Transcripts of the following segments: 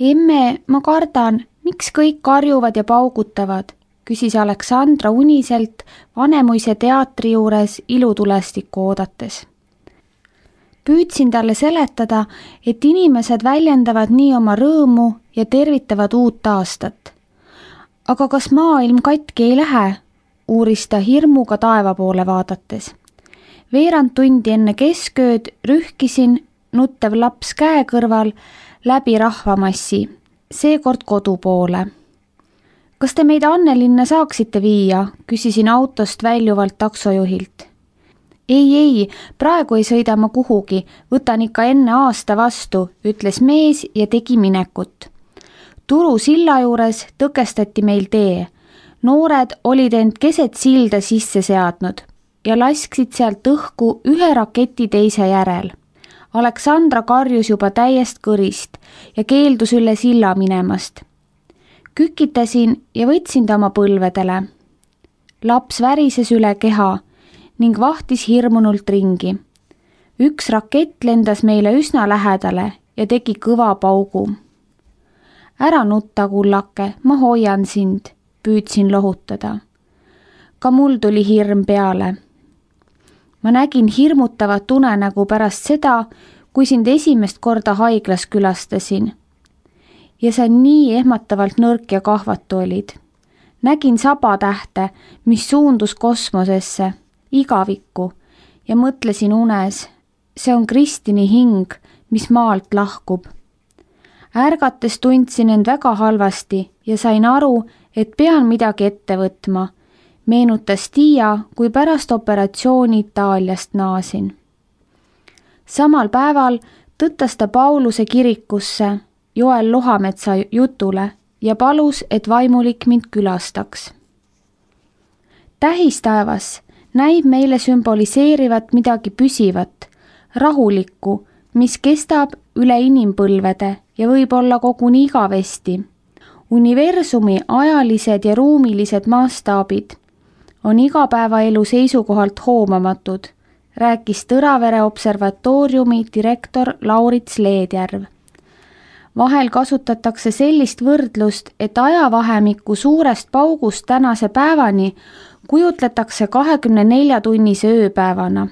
Emme, ma kardan, miks kõik karjuvad ja paugutavad, küsis Aleksandra uniselt Vanemuise teatri juures ilutulestikku oodates. Püüdsin talle seletada, et inimesed väljendavad nii oma rõõmu ja tervitavad uut aastat. Aga kas maailm katki ei lähe? Uuris ta hirmuga taeva poole vaadates. Veerand tundi enne keskööd rühkisin, nuttev laps käe kõrval, läbi rahvamassi, seekord kodu poole. Kas te meid Annelinna saaksite viia? Küsisin autost väljuvalt taksojuhilt. Ei, praegu ei sõida ma kuhugi, võtan ikka enne aasta vastu, ütles mees ja tegi minekut. Turu silla juures tõkestati meil tee. Noored olid end keset silda sisse seadnud ja lasksid sealt õhku ühe raketi teise järel. Aleksandra karjus juba täiest kõrist ja keeldus üle silla minemast. Kükitasin ja võtsin ta oma põlvedele. Laps värises üle keha ning vahtis hirmunult ringi. Üks rakett lendas meile üsna lähedale ja tegi kõva paugu. Ära nutta, kullake, ma hoian sind, püüdsin lohutada. Ka mul tuli hirm peale. Ma nägin hirmutavat unenägu pärast seda, kui sind esimest korda haiglas külastasin. Ja sa nii ehmatavalt nõrk ja kahvatu olid. Nägin sabatähte, mis suundus kosmosesse, igavikku ja mõtlesin unes, see on Kristini hing, mis maalt lahkub. Ärgates tundsin end väga halvasti ja sain aru, et pean midagi ette võtma. Meenutas Tiia, kui pärast operatsiooni Itaaliast naasin. Samal päeval tõttas ta Pauluse kirikusse Joel Lohametsa jutule ja palus, et vaimulik mind külastaks. Tähistaevas näib meile sümboliseerivat midagi püsivat, rahulikku, mis kestab üle inimpõlvede ja võib olla koguni igavesti. Universumi ajalised ja ruumilised maastaabid on igapäevaelu seisukohalt hoomamatud, rääkis Tõravere observatooriumi direktor Laurits Leedjärv. Vahel kasutatakse sellist võrdlust, et ajavahemikku suurest paugust tänase päevani kujutletakse 24-tunnise ööpäevana.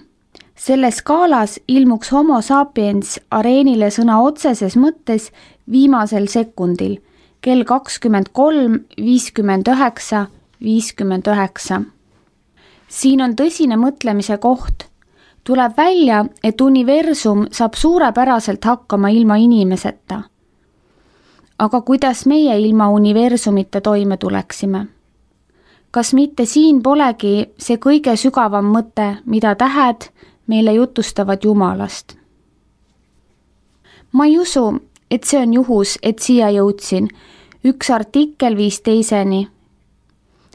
Selles skaalas ilmuks homo sapiens areenile sõna otseses mõttes viimasel sekundil, kell 23:59:59. Siin on tõsine mõtlemise koht. Tuleb välja, et universum saab suurepäraselt hakkama ilma inimeseta. Aga kuidas meie ilma universumita toime tuleksime? Kas mitte siin polegi see kõige sügavam mõte, mida tähed meile jutustavad Jumalast? Ma ei usu, et see on juhus, et siia jõudsin. Üks artikkel viis teiseni.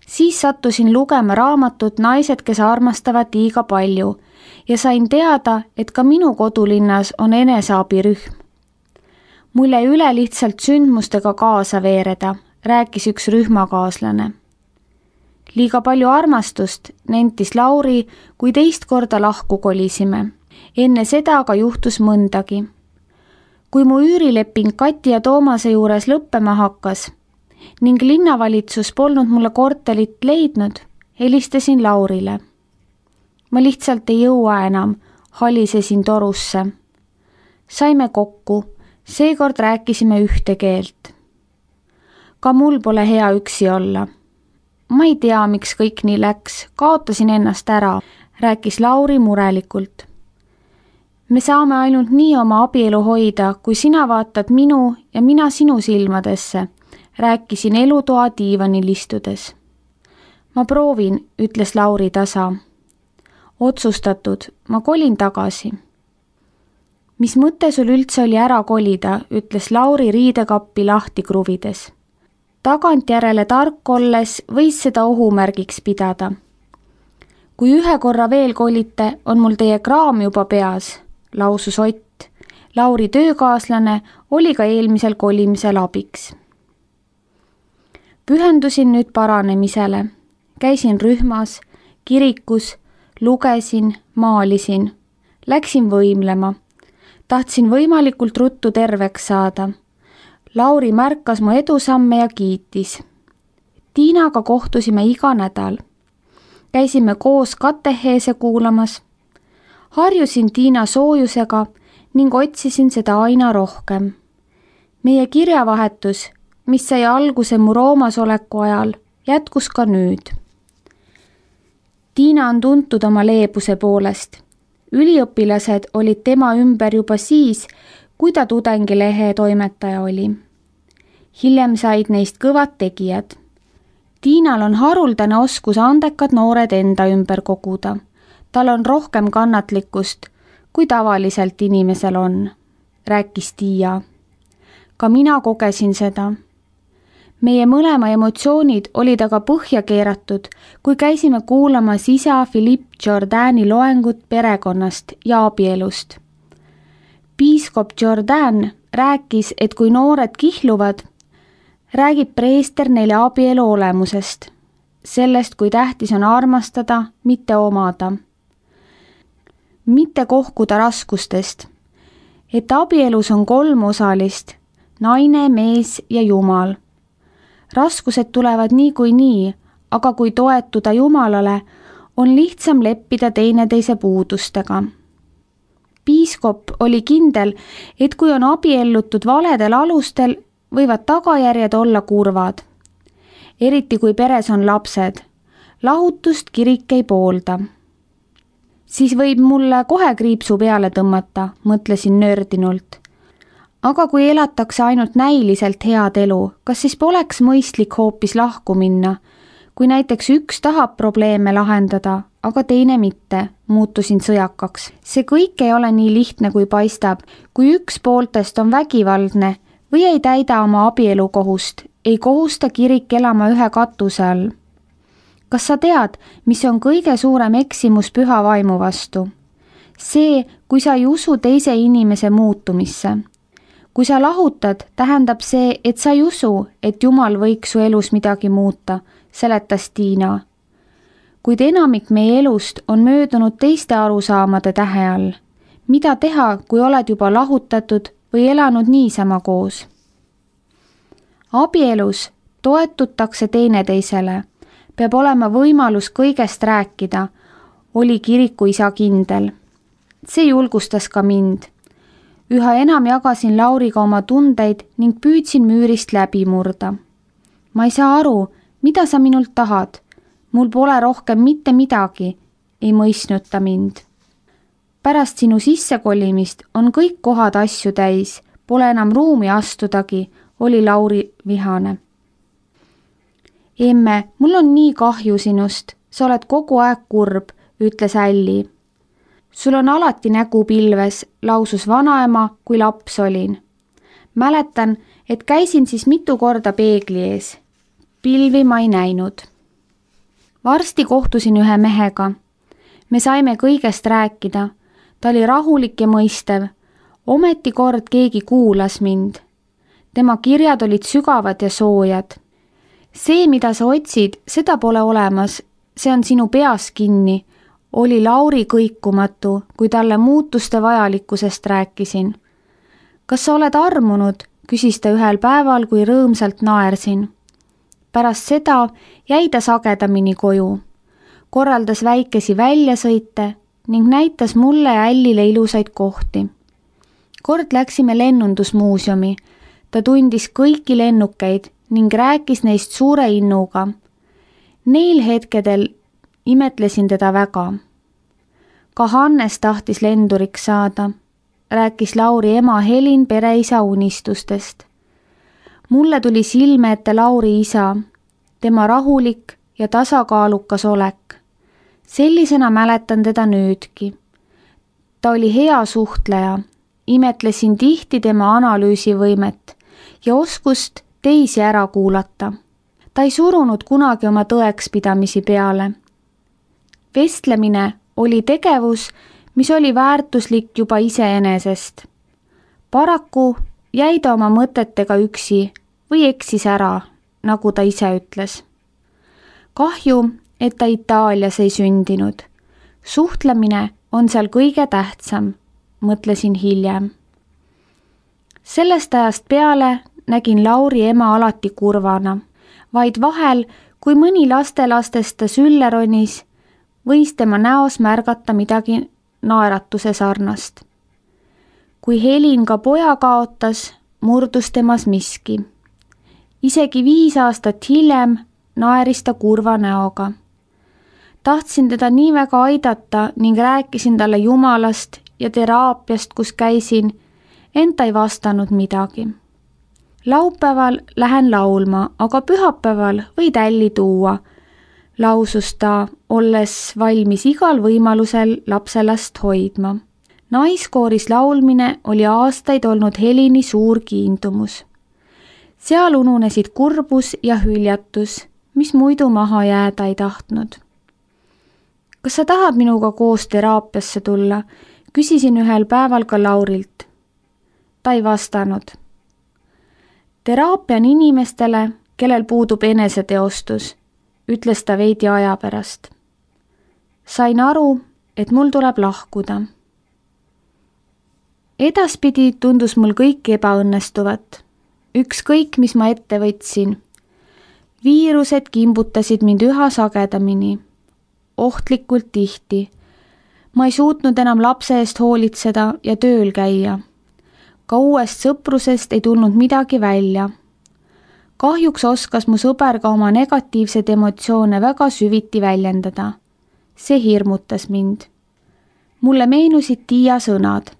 Siis sattusin lugema raamatut Naised, kes armastavad liiga palju ja sain teada, et ka minu kodulinnas on eneseabirühm. Mul jäi üle lihtsalt sündmustega kaasa veereda, rääkis üks rühmakaaslane. Liiga palju armastust, nentis Lauri, kui teist korda lahku kolisime. Enne seda aga juhtus mõndagi. Kui mu üürileping Kati ja Toomase juures lõppema hakkas ning linnavalitsus polnud mulle korterit leidnud, helistasin Laurile. Ma lihtsalt ei jõua enam, halisesin torusse. Saime kokku, seekord rääkisime ühte keelt. Ka mul pole hea üksi olla. Ma ei tea, miks kõik nii läks, kaotasin ennast ära, rääkis Lauri murelikult. Me saame ainult nii oma abielu hoida, kui sina vaatad minu ja mina sinu silmadesse, rääkisin elutoa diivanil istudes. Ma proovin, ütles Lauri tasa. Otsustatud, ma kolin tagasi. Mis mõte sul üldse oli ära kolida, ütles Lauri riidekappi lahti kruvides. Tagantjärele tark olles võis seda ohumärgiks pidada. Kui ühe korra veel kolite, on mul teie kraam juba peas, lausus Ott. Lauri töökaaslane oli ka eelmisel kolimisel abiks. Pühendusin nüüd paranemisele. Käisin rühmas, kirikus, lugesin, maalisin. Läksin võimlema. Tahtsin võimalikult ruttu terveks saada. Lauri märkas mu edusamme ja kiitis. Tiinaga kohtusime iga nädal. Käisime koos kateheese kuulamas. Harjusin Tiina soojusega ning otsisin seda aina rohkem. Meie kirjavahetus, mis sai alguse mu Roomas oleku ajal, jätkus ka nüüd. Tiina on tuntud oma leebuse poolest. Üliõpilased olid tema ümber juba siis, kui ta tudengilehe toimetaja oli. Hiljem said neist kõvad tegijad. Tiinal on haruldane oskus andekad noored enda ümber koguda. Tal on rohkem kannatlikkust, kui tavaliselt inimesel on, rääkis Tiia. Ka mina kogesin seda. Meie mõlema emotsioonid olid aga põhja keeratud, kui käisime kuulamas isa Philippe Jourdani loengut perekonnast ja abielust. Piiskop Jourdan rääkis, et kui noored kihluvad, räägib preester neile abielu olemusest, sellest, kui tähtis on armastada, mitte omada. Mitte kohkuda raskustest, et abielus on 3 osalist, naine, mees ja Jumal. Raskused tulevad niikuinii, aga kui toetuda Jumalale, on lihtsam leppida teineteise puudustega. Piiskop oli kindel, et kui on abiellutud valedel alustel, võivad tagajärjed olla kurvad. Eriti kui peres on lapsed. Lahutust kirik ei poolda. Siis võib mulle kohe kriipsu peale tõmmata, mõtlesin nördinult. Aga kui elatakse ainult näiliselt head elu, kas siis poleks mõistlik hoopis lahku minna? Kui näiteks üks tahab probleeme lahendada, aga teine mitte, muutusin sõjakaks. See kõik ei ole nii lihtne, kui paistab. Kui üks pooltest on vägivaldne või ei täida oma abielukohust, ei kohusta kirik elama ühe katuse all. Kas sa tead, mis on kõige suurem eksimus püha vaimu vastu? See, kui sa ei usu teise inimese muutumisse. Kui sa lahutad, tähendab see, et sa ei usu, et Jumal võiks su elus midagi muuta, seletas Tiina. Kuid enamik meie elust on möödunud teiste arusaamade tähe all. Mida teha, kui oled juba lahutatud või elanud niisama koos? Abielus toetutakse teineteisele. Peab olema võimalus kõigest rääkida, oli kirikuisa kindel. See julgustas ka mind. Üha enam jagasin Lauriga oma tundeid ning püüdsin müürist läbi murda. Ma ei saa aru, mida sa minult tahad. Mul pole rohkem mitte midagi, ei mõistnud ta mind. Pärast sinu sissekolimist on kõik kohad asju täis, pole enam ruumi astudagi, oli Lauri vihane. Emme, mul on nii kahju sinust, sa oled kogu aeg kurb, ütles Älli. Sul on alati nägu pilves, lausus vanaema, kui laps olin. Mäletan, et käisin siis mitu korda peegli ees. Pilvi ma ei näinud. Varsti kohtusin ühe mehega. Me saime kõigest rääkida. Ta oli rahulik ja mõistev. Ometi kord keegi kuulas mind. Tema kirjad olid sügavad ja soojad. See, mida sa otsid, seda pole olemas. See on sinu peas kinni. Oli Lauri kõikumatu, kui talle muutuste vajalikkusest rääkisin. Kas sa oled armunud, küsis ta ühel päeval, kui rõõmsalt naersin. Pärast seda jäi ta sagedamini koju. Korraldas väikesi väljasõite ning näitas mulle ja Ällile ilusaid kohti. Kord läksime lennundusmuuseumi. Ta tundis kõiki lennukeid ning rääkis neist suure innuga. Neil hetkedel imetlesin teda väga. Ka Hannes tahtis lenduriks saada, rääkis Lauri ema Helin pereisa unistustest. Mulle tuli silme ette Lauri isa, tema rahulik ja tasakaalukas olek. Sellisena mäletan teda nüüdki. Ta oli hea suhtleja, imetlesin tihti tema analüüsivõimet ja oskust teisi ära kuulata. Ta ei surunud kunagi oma tõekspidamisi peale. Vestlemine oli tegevus, mis oli väärtuslik juba iseenesest. Paraku jäi ta oma mõtetega üksi või eksis ära, nagu ta ise ütles. Kahju, et ta Itaalias ei sündinud. Suhtlemine on seal kõige tähtsam, mõtlesin hiljem. Sellest ajast peale nägin Lauri ema alati kurvana, vaid vahel, kui mõni lastelastest ta sülle ronis, võis tema näos märgata midagi naeratuse sarnast. Kui Helin ka poja kaotas, murdus temas miski. Isegi 5 aastat hiljem naeris ta kurva näoga. Tahtsin teda nii väga aidata ning rääkisin talle Jumalast ja teraapiast, kus käisin, ent ta ei vastanud midagi. Laupäeval lähen laulma, aga pühapäeval või tälli tuua, lausus ta, olles valmis igal võimalusel lapselast hoidma. Naiskooris laulmine oli aastaid olnud Helini suur kiindumus. Seal ununesid kurbus ja hüljatus, mis muidu maha jääda ei tahtnud. Kas sa tahad minuga koos teraapiasse tulla? Küsisin ühel päeval ka Laurilt. Ta ei vastanud. Teraapia on inimestele, kellel puudub eneseteostus, ütles ta veidi aja pärast. Sain aru, et mul tuleb lahkuda. Edaspidi tundus mul kõik ebaõnnestuvat. Ükskõik, mis ma ette võtsin. Viirused kimbutasid mind üha sagedamini. Ohtlikult tihti. Ma ei suutnud enam lapse eest hoolitseda ja tööl käia. Ka uuest sõprusest ei tulnud midagi välja. Kahjuks oskas mu sõber ka oma negatiivsed emotsioone väga süviti väljendada. See hirmutas mind. Mulle meenusid Tiia sõnad.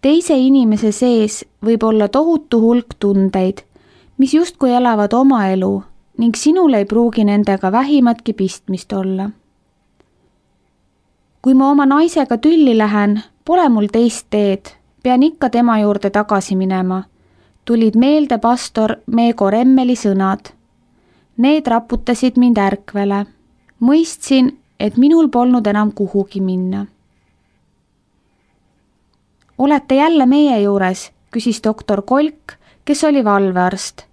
Teise inimese sees võib olla tohutu hulk tundeid, mis justkui elavad oma elu ning sinul ei pruugi nendega vähimatki pistmist olla. Kui ma oma naisega tülli lähen, pole mul teist teed, pean ikka tema juurde tagasi minema. Tulid meelde pastor Meego Remmeli sõnad. Need raputasid mind ärkvele. Mõistsin, et minul polnud enam kuhugi minna. Olete jälle meie juures, küsis doktor Kolk, kes oli valvearst.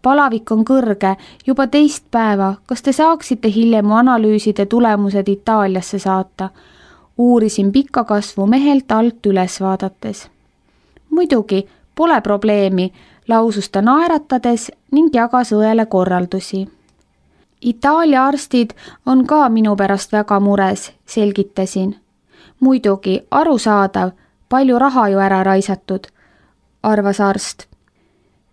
Palavik on kõrge, juba 2 päeva, kas te saaksite hiljem mu analüüside tulemused Itaaliasse saata? Uurisin pika kasvu mehelt alt üles vaadates. Muidugi, pole probleemi, lausus ta naeratades ning jagas õele korraldusi. Itaalia arstid on ka minu pärast väga mures, selgitasin. Muidugi, arusaadav, palju raha ju ära raisatud, arvas arst.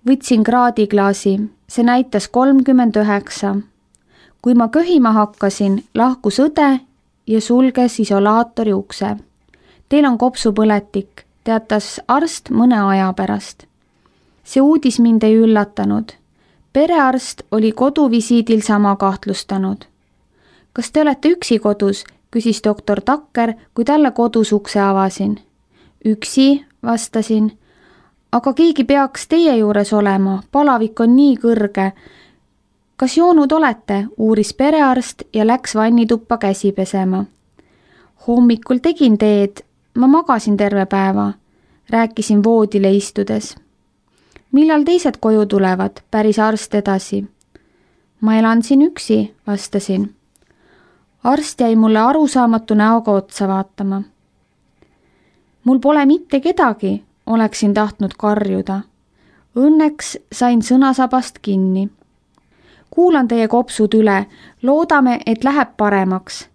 Võtsin kraadiklaasi, see näitas 39. Kui ma köhima hakkasin, lahkus õde ja sulges isolaatori ukse. Teil on kopsupõletik, teatas arst mõne aja pärast. See uudis mind ei üllatanud. Perearst oli koduvisiidil sama kahtlustanud. Kas te olete üksi kodus, küsis doktor Takker, kui talle kodus ukse avasin. Üksi, vastasin. Aga keegi peaks teie juures olema, palavik on nii kõrge. Kas joonud olete, uuris perearst ja läks vannituppa käsi pesema. Hommikul tegin teed, ma magasin terve päeva, rääkisin voodile istudes. Millal teised koju tulevad, päris arst edasi. Ma elan siin üksi, vastasin. Arst jäi mulle arusaamatu näoga otsa vaatama. Mul pole mitte kedagi, oleksin tahtnud karjuda. Õnneks sain sõnasabast kinni. Kuulan teie kopsud üle, loodame, et läheb paremaks.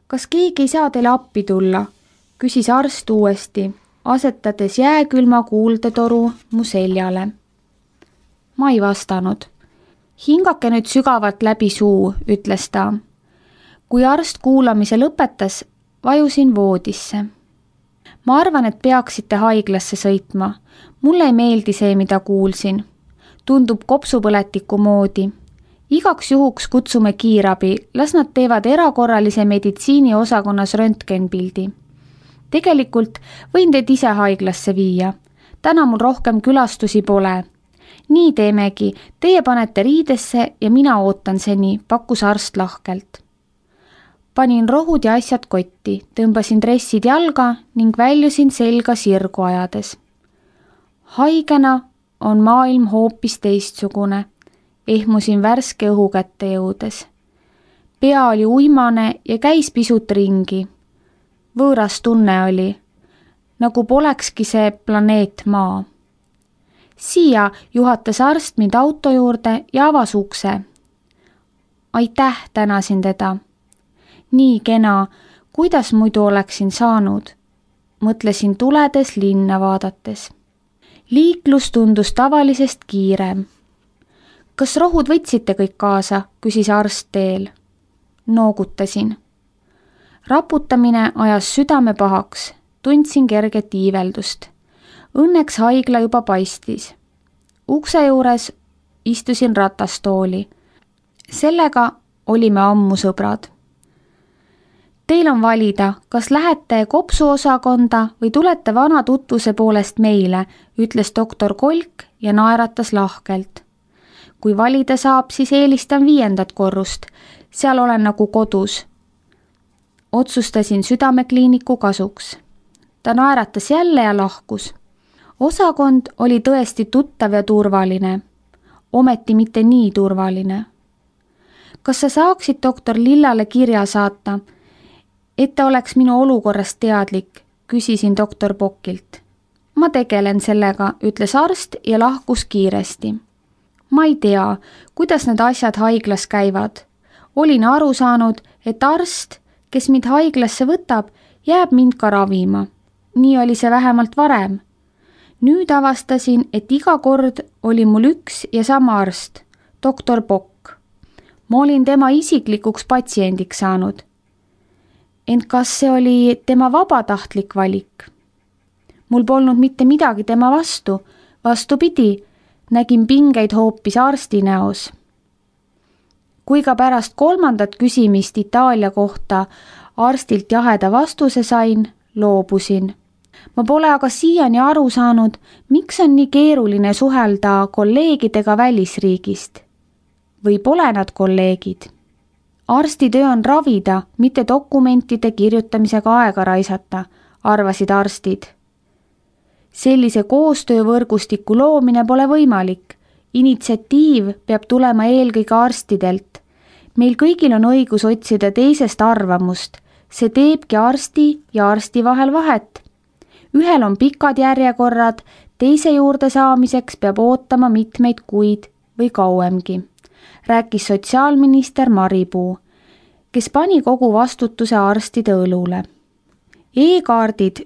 Kas keegi ei saa teile appi tulla? Küsis arst uuesti, asetades jääkülma kuuldetoru mu seljale. Ma ei vastanud. Hingake nüüd sügavalt läbi suu, ütles ta. Kui arst kuulamise lõpetas, vajusin voodisse. Ma arvan, et peaksite haiglasse sõitma. Mulle ei meeldi see, mida kuulsin. Tundub kopsupõletiku moodi. Igaks juhuks kutsume kiirabi, las nad teevad erakorralise meditsiini osakonnas röntgenpildi. Tegelikult võin teid ise haiglasse viia. Täna mul rohkem külastusi pole. Nii teemegi, teie panete riidesse ja mina ootan seni, pakkus arst lahkelt. Panin rohud ja asjad kotti, tõmbasin dressid jalga ning väljusin selga sirgu ajades. Haigena on maailm hoopis teistsugune, ehmusin värske õhu kätte jõudes. Pea oli uimane ja käis pisut ringi. Võõras tunne oli, nagu polekski see planeet Maa. Siia juhatas arst mind auto juurde ja avas ukse. Aitäh, tänasin teda. Nii kena, kuidas muidu oleksin saanud? Mõtlesin tuledes linna vaadates. Liiklus tundus tavalisest kiirem. Kas rohud võtsite kõik kaasa, küsis arst teel. Noogutasin. Raputamine ajas südame pahaks, tundsin kerget iiveldust. Õnneks haigla juba paistis. Ukse juures istusin ratastooli. Sellega olime ammu sõbrad. Teil on valida, kas lähete kopsuosakonda või tulete vana tutvuse poolest meile, ütles doktor Kolk ja naeratas lahkelt. Kui valida saab, siis eelistan 5. korrust. Seal olen nagu kodus. Otsustasin südamekliiniku kasuks. Ta naeratas jälle ja lahkus. Osakond oli tõesti tuttav ja turvaline. Ometi mitte nii turvaline. Kas sa saaksid doktor Lillale kirja saata, et ta oleks minu olukorrast teadlik, küsisin doktor Pockilt. Ma tegelen sellega, ütles arst ja lahkus kiiresti. Ma ei tea, kuidas need asjad haiglas käivad. Olin aru saanud, et arst, kes mind haiglasse võtab, jääb mind ka ravima. Nii oli see vähemalt varem. Nüüd avastasin, et iga kord oli mul üks ja sama arst, doktor Pock. Ma olin tema isiklikuks patsiendiks saanud. Ent kas see oli tema vabatahtlik valik? Mul polnud mitte midagi tema vastu, vastupidi, nägin pingeid hoopis arsti näos. Kui ka pärast 3. küsimist Itaalia kohta arstilt jaheda vastuse sain, loobusin. Ma pole aga siiani aru saanud, miks on nii keeruline suhelda kolleegidega välisriigist. Või pole nad kolleegid? Arstitöö on ravida, mitte dokumentide kirjutamisega aega raisata, arvasid arstid. Sellise koostöövõrgustiku loomine pole võimalik. Initsiatiiv peab tulema eelkõige arstidelt. Meil kõigil on õigus otsida teisest arvamust. See teebki arsti ja arsti vahel vahet. Ühel on pikad järjekorrad, teise juurde saamiseks peab ootama mitmeid kuid või kauemgi, rääkis sotsiaalminister Maripuu, kes pani kogu vastutuse arstide õlule. E-kaardid,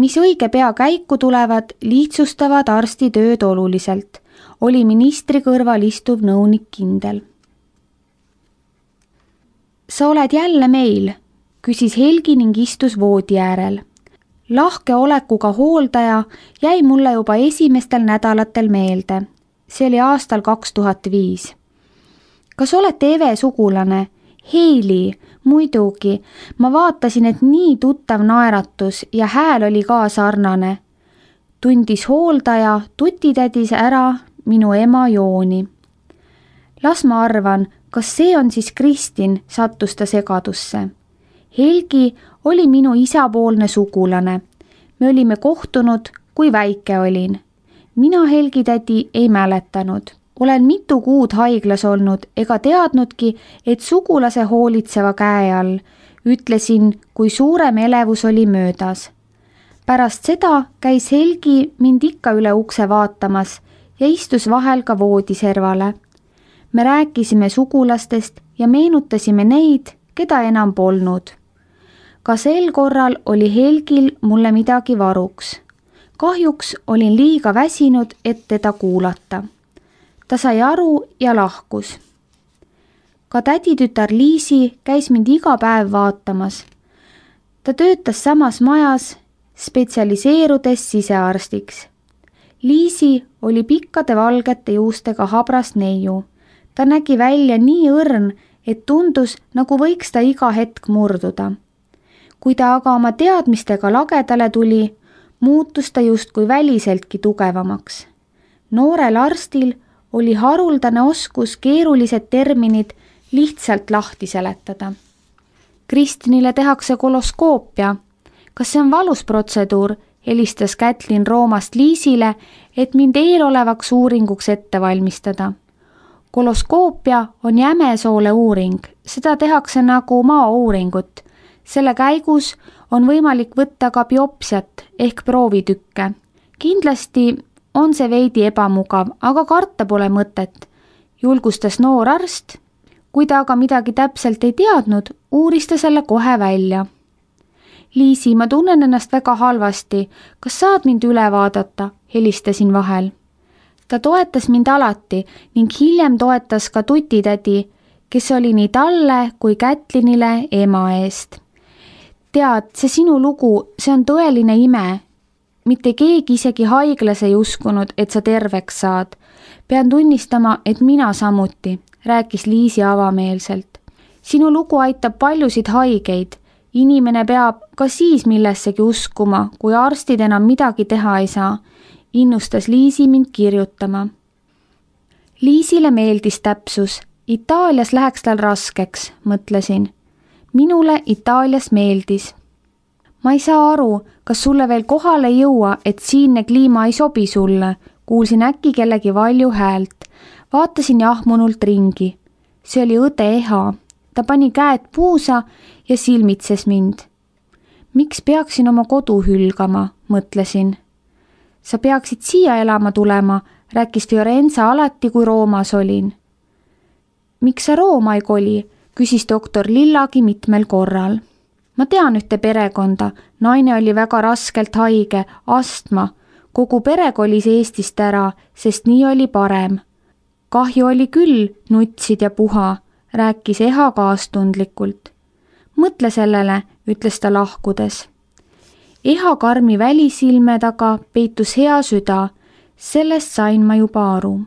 mis õige pea käiku tulevad, lihtsustavad arsti tööd oluliselt, oli ministri kõrval istuv nõunik kindel. Sa oled jälle meil, küsis Helgi ning istus voodi äärel. Lahke olekuga hooldaja jäi mulle juba esimestel nädalatel meelde. See oli aastal 2005. Kas olete Eve sugulane? Heili, muidugi. Ma vaatasin, et nii tuttav naeratus ja hääl oli ka sarnane. Tundis hooldaja, tutitädis ära minu ema Jooni. Las ma arvan, kas see on siis Kristin, sattus ta segadusse. Helgi oli minu isapoolne sugulane. Me olime kohtunud, kui väike olin. Mina Helgi tädi ei mäletanud. Olen mitu kuud haiglas olnud ega teadnudki, et sugulase hoolitseva käe all. Ütlesin, kui suurem elevus oli möödas. Pärast seda käis Helgi mind ikka üle ukse vaatamas ja istus vahel ka voodiservale. Me rääkisime sugulastest ja meenutasime neid, keda enam polnud. Ka sel korral oli Helgil mulle midagi varuks. Kahjuks olin liiga väsinud, et teda kuulata. Ta sai aru ja lahkus. Ka täditütar Liisi käis mind iga päev vaatamas. Ta töötas samas majas, spetsialiseerudes sisearstiks. Liisi oli pikkade valgete juustega habras neiu. Ta nägi välja nii õrn, et tundus, nagu võiks ta iga hetk murduda. Kui ta aga oma teadmistega lagedale tuli, muutus ta justkui väliseltki tugevamaks. Noorel arstil oli haruldane oskus keerulised terminid lihtsalt lahti seletada. Kristinile tehakse koloskoopia. Kas see on valus protseduur, helistas Kätlin Roomast Liisile, et mind eelolevaks uuringuks ette valmistada. Koloskoopia on jämesoole uuring, seda tehakse nagu maauuringut. Selle käigus on võimalik võtta ka biopsiat ehk proovitükke. Kindlasti on see veidi ebamugav, aga karta pole mõtet, julgustas noor arst. Kui ta aga midagi täpselt ei teadnud, uuris ta selle kohe välja. Liisi, ma tunnen ennast väga halvasti, kas saad mind üle vaadata, helistasin vahel. Ta toetas mind alati ning hiljem toetas ka tutitädi, kes oli nii talle kui Kätlinile ema eest. Tead, see sinu lugu, see on tõeline ime. Mitte keegi isegi haiglas ei uskunud, et sa terveks saad. Pean tunnistama, et mina samuti, rääkis Liisi avameelselt. Sinu lugu aitab paljusid haigeid. Inimene peab ka siis millessegi uskuma, kui arstid enam midagi teha ei saa. Innustas Liisi mind kirjutama. Liisile meeldis täpsus. Itaalias läheks tal raskeks, mõtlesin. Minule Itaalias meeldis. Ma ei saa aru, kas sulle veel kohale ei jõua, et siinne kliima ei sobi sulle, kuulsin äkki kellegi valju häält. Vaatasin jahmunult ringi. See oli õde Eha. Ta pani käed puusa ja silmitses mind. Miks peaksin oma kodu hülgama, mõtlesin. Sa peaksid siia elama tulema, rääkis Fiorenza alati, kui Roomas olin. Miks sa Rooma ei koli, küsis doktor Lillagi mitmel korral. Ma tean ühte perekonda, naine oli väga raskelt haige, astma. Kogu pere kolis Eestist ära, sest nii oli parem. Kahju oli küll, nutsid ja puha, rääkis Eha kaastundlikult. Mõtle sellele, ütles ta lahkudes. Eha karmi välisilme taga peitus hea süda, sellest sain ma juba aru.